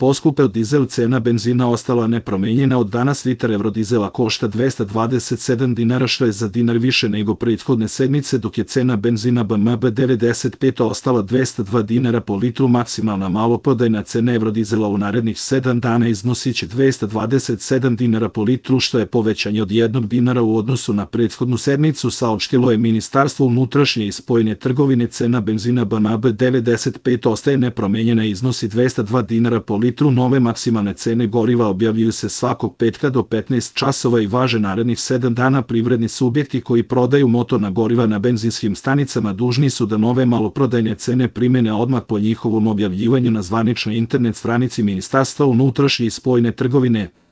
poskupeo dizel, cena benzina ostala nepromenjena. Od danas litar Eurodizela košta 227 dinara, što je za dinar više nego prethodne sedmice, dok je cena benzina BMW 95 ostala 202 dinara po litru. Maksimalna maloprodajna cena Eurodizela u narednih 7 dana iznosiće 227 dinara po litru, što je povećanje od 1 dinara u odnosu na prethodnu sedmicu, saopštilo je Ministarstvo unutrašnje i spoljne trgovine. Cena benzina BMW 95 ostaje nepromenjena i iznosi 202 dinara po litru. Nove maksimalne cene goriva objavljuju se svakog petka do 15 časova i važe narednih 7 dana. Privredni subjekti koji prodaju motorna goriva na benzinskim stanicama dužni su da nove maloprodajne cene primene odmah po njihovom objavljivanju na zvaničnoj internet stranici Ministarstva unutrašnje i spoljne trgovine.